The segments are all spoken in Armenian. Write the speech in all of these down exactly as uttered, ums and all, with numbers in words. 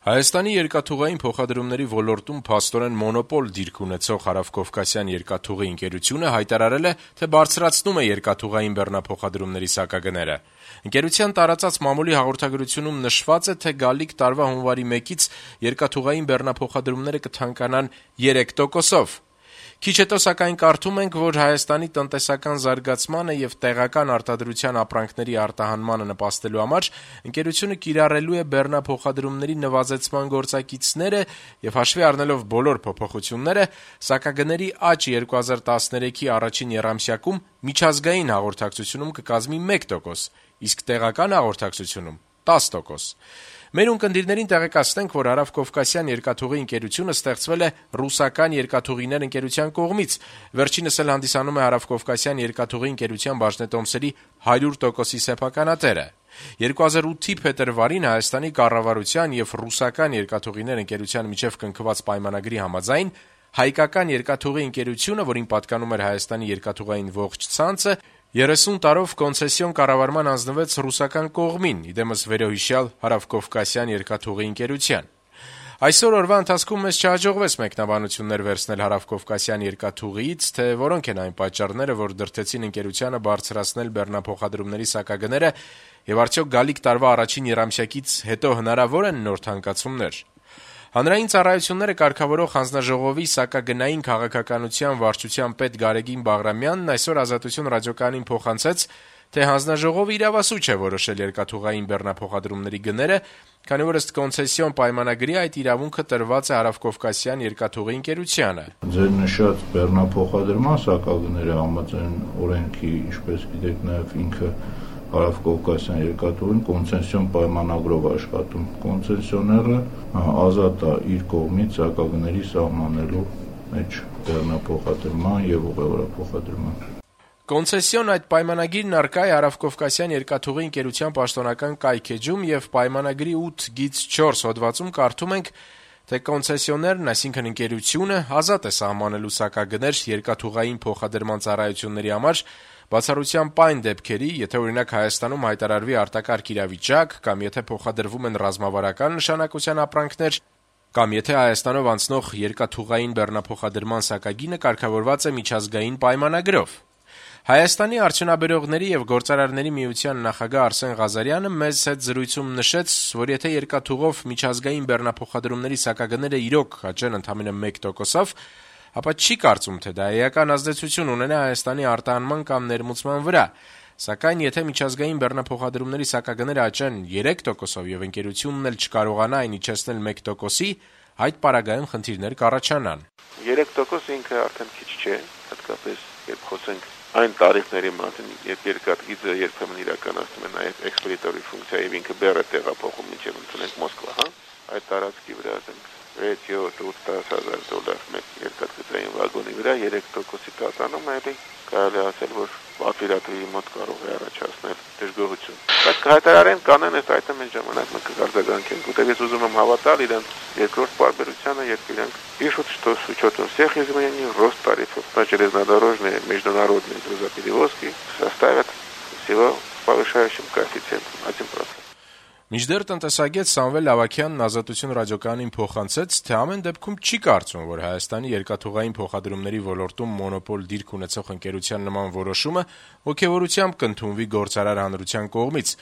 Հայաստանի երկաթուղային փոխադրումների ոլորտում փաստորեն մոնոպոլ դիրք ունեցող Հարավկովկասյան երկաթուղի ընկերությունը հայտարարել է, թե բարձրացնում է երկաթուղային բեռնափոխադրումների սակագները։ Ընկերության տարածած մամուլի հաղորդագրությունում նշված է, թե գալիք տարվա հունվարի մեկից երկաթուղային բեռնափոխադրումները կթանկանան երեք տոկոսով։ Քիչ հետո սակայն կարդում ենք, որ Հայաստանի տնտեսական զարգացմանը եւ տեղական արտադրության ապրանքների արտահանմանը նպաստելու համար ընկերությունը կիրառելու է բեռնափոխադրումների նվազեցման գործակիցները եւ հաշվի առնելով բոլոր փոփոխությունները, սակագների աճ երկու հազար տասներեքի առաջին եռամսյակում միջազգային հաղորդակցությունում կկազմի մեկ տոկոս, իսկ տեղական հաղորդակցությունում տասը տոկոս։ Մեր ունկնդիրներին տեղեկացնենք, որ Հարավկովկասյան երկաթուղի ընկերությունը ստեղծվել է ռուսական երկաթուղիներ ընկերության կողմից, վերջինս էլ հանդիսանում է Հարավկովկասյան երկաթուղի ընկերության բաժնետոմսերի հարյուր տոկոսի սեփականատերը։ երկու հազար ութի փետրվարին Հայաստանի կառավարության եւ ռուսական երկաթուղիներ ընկերության միջև կնքված պայմանագրի համաձայն հայկական երկաթուղի ընկերությունը, որին պատկանում էր Հայաստանի երկաթուղային ողջ ցանցը, երեսուն տարով կոնցեսիոն կառավարման հանձնվեց ռուսական կողմին, իդեմս վերոհիշյալ Հարավկովկասյան երկաթուղի ընկերության։ Այսօր օրվա ընթացքում մեզ չհաջողվեց մեկնաբանություններ վերցնել Հարավկովկասյան երկաթուղիից, թե որոնք են այն պատճառները, որ դրդեցին ընկերությանը բարձրացնել բեռնափոխադրումների սակագները եւ արդյոք գալիք տարվա առաջին եռամսյակից հետո հնարավոր են նոր թանկացումներ։ Հանրային ծառայությունները կարգավորող հանձնաժողովի սակագնային քաղաքականության վարչության պետ Գարեգին Բաղրամյանն այսօր Ազատություն ռադիոկայանին փոխանցեց, թե հանձնաժողովը իրավասու չէ որոշել երկաթուղային բեռնափոխադրումների գները, քանի որ ըստ կոնցեսիոն պայմանագրի այդ իրավունքը տրված է Հարավկովկասյան երկաթուղի ընկերությանը։ Ձեր նշած բեռնափոխադրման սակագները համաձայն օրենքի, ինչպես գիտեք, նաև ինքը Հարավկովկասյան երկաթուղին կոնցեսիոն պայմանագրով աշխատում։ Կոնցեսիոները ազատ է իր կողմից սակագների սահմանելու մեջ բեռնափոխադրման եւ ուղևորափոխադրման։ Կոնցեսիոն այդ պայմանագիրն առկա է Հարավկովկասյան երկաթուղի ընկերության պաշտոնական կայքեջում եւ պայմանագրի ութ գիծ չորս հոդվածում կարդում ենք, թե կոնցեսիոներն, այսինքն ընկերությունը, ազատ է սահմանելու սակագներ երկաթուղային փոխադրման ծառայությունների համար բացառության պայն դեպքերի, եթե օրինակ Հայաստանում հայտարարվի արտակարգ իրավիճակ, կամ եթե փոխադրվում են ռազմավարական նշանակության ապրանքներ, կամ եթե Հայաստանով անցնող երկաթուղային բեռնափոխադրման սակագինը կարգավորված է միջազգային պայմանագրով։ Հայաստանի արդյունաբերողների եւ գործարարների միության նախագահ Արսեն Ղազարյանը մեզ հետ զրույցում նշեց, որ եթե երկաթուղով միջազգային բեռնափոխադրումների սակագները իրոք աճեն ընդամենը մեկ տոկոսով, ապա չի կարծում, թե դա էական ազդեցություն ունենա Հայաստանի արտահանման կամ ներմուծման վրա, սակայն եթե միջազգային բեռնափոխադրումների սակագները աճեն երեք տոկոսով եւ ընկերությունն էլ չկարողանա այն իջեցնել մեկ տոկոսի, այդ պարագայում խնդիրներ կառաջանան։ երեք տոկոս ինքը արդեն քիչ չէ, հատկապես երբ խոսենք այն տարիքների մասին, երբ երկաթգիծը երբեմն իրականացնում է նաեւ էքսպեդիտորի ֆունկցիա եւ ինքը բեռը տեղափոխում մինչեւ ընդունենք Մոսկվա, հա, այդ տարածքի վրա ասենք վեց յոթ ութ հազար դոլար մեկ երկաթգծային վագոնի վրա երեք տոկոսի տատանում է, կարելի ասել, որ պատվիրատուի մոտ կարող է առաջացնել դժգոհություն։ Բայց կհայտարարեն կանեն այս այդը մենք ժամանակը կգարձագանքենք, ուտեղ ես ուզում եմ հավատալ իրենց երկրորդ պարբերությանը, երբ իրենք пишут, что с учетом всех изменений рост тарифов на железнодорожные международные грузоперевозки составят всего повышающим коэффициентом один процент. Մինչդեռ տնտեսագետ Սամվել Ավագյանն Ազատություն ռադիոկայանին փոխանցեց, թե ամեն դեպքում չի կարծում, որ Հայաստանի երկաթուղային փոխադրումների ոլորտում մոնոպոլ դիրք ունեցող ընկերության նման որոշումը ոգևորությամբ կընդունվի գործարար հանրության կողմից։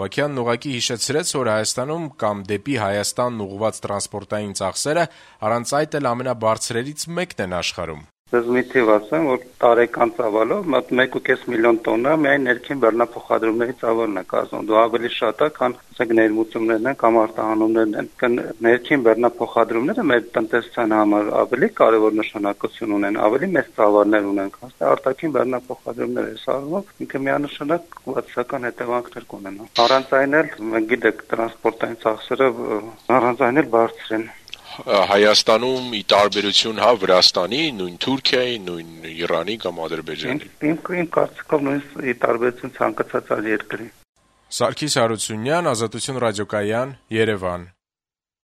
Ավագյանն ուղղակի հիշեցրեց, որ Հայաստանում կամ դեպի Հայաստանն ուղղված տրանսպորտային ծախսերը առանց այդ էլ ամենաբարձրերից մեկն են աշխարհում։ Ես մի թիվ ասեմ, որ տարեկան ծավալով մոտ մեկ ու կես միլիոն տոննա միայն ներքին բեռնափոխադրումների ծավալն է կազմում։ Դա ավելի շատ է, քան ասենք ներմուծումներն են կամ արտահանումներն են։ Ներքին բեռնափոխադրումները մեր տնտեսության համար ավելի կարևոր նշանակություն ունեն, ավելի մեծ ծավալներ ունեն, քան արտաքին բեռնափոխադրումները։ Այս առումով ինքը միանշանակ վատական հետևանքներ կունենա։ Առանց այն էլ, մենք գիտենք, տրանսպորտային ծախսերը առանց այն էլ բարձր են։ Հայաստանում ի տարբերություն հա Վրաստանի, նույն Թուրքիայի, նույն Իրանի կամ Ադրբեջանի։ Իմ կարծիքով նույն ի տարբերություն ցանկացած այլ երկրի։ Սարգիս Հարությունյան, Ազատություն ռադիոկայան, Երևան։